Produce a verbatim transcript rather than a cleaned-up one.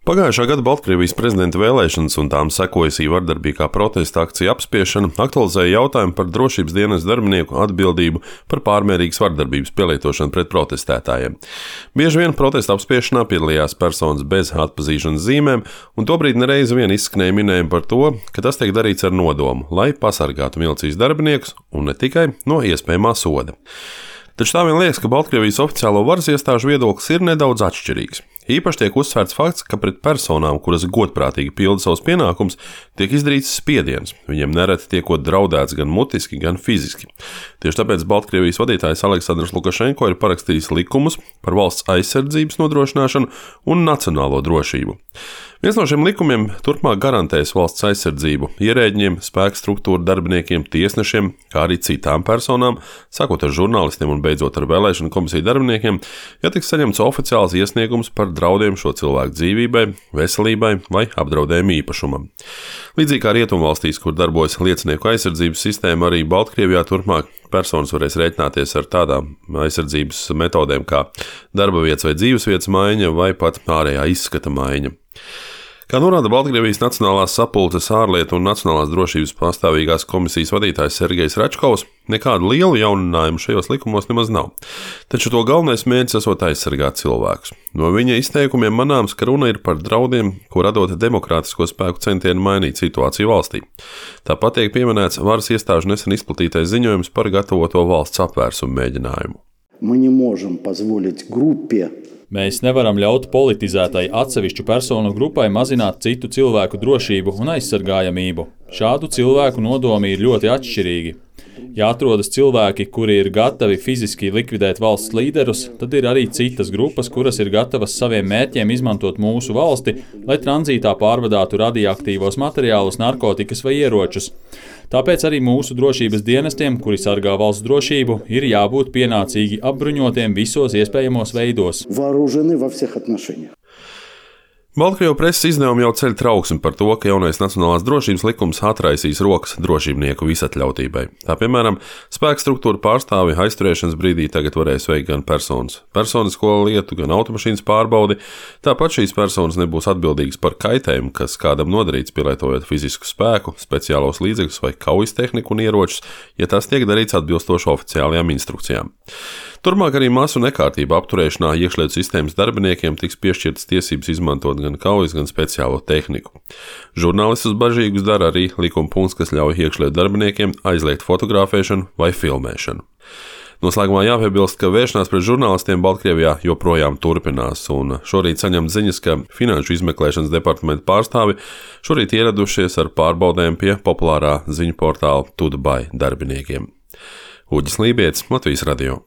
Pagājušā gada Baltkrievijas prezidenta vēlēšanas un tām sekojusī vardarbīgā protesta akcija apspiešana aktualizēja jautājumu par drošības dienesta darbinieku atbildību par pārmērīgas vardarbības pielietošanu pret protestētājiem. Bieži vien protesta apspiešanā piedalījās personas bez atpazīšanas zīmēm, un tobrīd nereiz vien izskanēja minējumi par to, ka tas tiek darīts ar nodomu, lai pasargātu milicijas darbiniekus un ne tikai no iespējamā soda. Taču tā vien liekas, ka Baltkrievijas oficiālo varas iestāžu viedoklis ir nedaudz atšķirīgs. Īpaši tiek uzsvērts fakts, ka pret personām, kuras godprātīgi pilda savus pienākumus, tiek izdarīts spiediens. Viņiem nereti tiekot draudēts gan mutiski, gan fiziski. Tieši tāpēc Baltkrievijas vadītājs Aleksandrs Lukašenko ir parakstījis likumus par valsts aizsardzības nodrošināšanu un nacionālo drošību. Viens no šiem likumiem turpmāk garantēs valsts aizsardzību ierēģiem, spēku struktūru darbiniekiem, tiesnešiem, kā arī citām personām, sākot ar žurnālistiem un beidzot ar vēlēšanu komisiju darbiniekiem, ja tiks saņemts oficiāls iesniegums par draudiem šo cilvēku dzīvībai, veselībai vai apdraudējumu īpašumam. Līdzīgi kā Rietumvalstīs, kur darbojas liecinieku aizsardzības sistēma, arī Baltkrievijā turpmāk personas varēs rēķināties ar tādām aizsardzības metodēm kā darba vietas vai dzīvesvietas maiņa vai pat ārējā izskata maiņa. Kā norāda Baltkrievijas Nacionālās sapulces ārlietu un nacionālās drošības pastāvīgās komisijas vadītājs Sergejs Račkovs, nekādu lielu jauninājumu šajos likumos nemaz nav. Taču to galvenais mērķis esot aizsargāt cilvēkus. No viņa izteikumiem manāms, ka runa ir par draudiem, ko radot demokrātisko spēku centienu mainīt situāciju valstī. Tāpat tiek pieminēts varas iestāžu nesen izplatītais ziņojums par gatavoto valsts apvērsumu mēģinājumu. Mēs nevaram ļaut politizētai atsevišķu personu grupai mazināt citu cilvēku drošību un aizsargājamību. Šādu cilvēku nodomi ir ļoti atšķirīgi. Ja atrodas cilvēki, kuri ir gatavi fiziski likvidēt valsts līderus, tad ir arī citas grupas, kuras ir gatavas saviem mērķiem izmantot mūsu valsti, lai tranzītā pārvadātu radioaktīvos materiālus, narkotikas vai ieročus. Tāpēc arī mūsu drošības dienestiem, kuri sargā valsts drošību, ir jābūt pienācīgi apbruņotiem visos iespējamos veidos. Baltkrievu preses izdevumi jau ceļ trauksmi par to, ka jaunais nacionālās drošības likums atraisīs rokas drošībnieku visatļautībai. Tā, piemēram, spēku struktūra pārstāvi aizturēšanas brīdī tagad varēs veikt gan personas personisko lietu, gan automašīnas pārbaudi. Tāpat šīs personas nebūs atbildīgas par kaitējumu, kas kādam nodarīts pielietojot fizisku spēku, speciālos līdzekļus vai kaujas tehniku un ieročus, ja tas tiek darīts atbilstoši oficiālajām instrukcijām. Turmāk arī masu nekārtību apturēšanā iekšlietu sistēmas darbiniekiem tiks piešķirtas tiesības izmantot gan kaujas, gan speciālo tehniku. Žurnālistus bažīgus dara arī likuma punkts, kas ļauj iekšlietu darbiniekiem aizliegt fotografēšanu vai filmēšanu. Noslēgumā jāpiebilst, ka vēršanās pret žurnālistiem Baltkrievijā joprojām turpinās, un šorīt saņemt ziņas, ka Finanšu izmeklēšanas departamenta pārstāvi šorīt ieradušies ar pārbaudēm pie populārā ziņu portāla Tudbai darbiniekiem. Uģis Lībietis, Latvijas radio.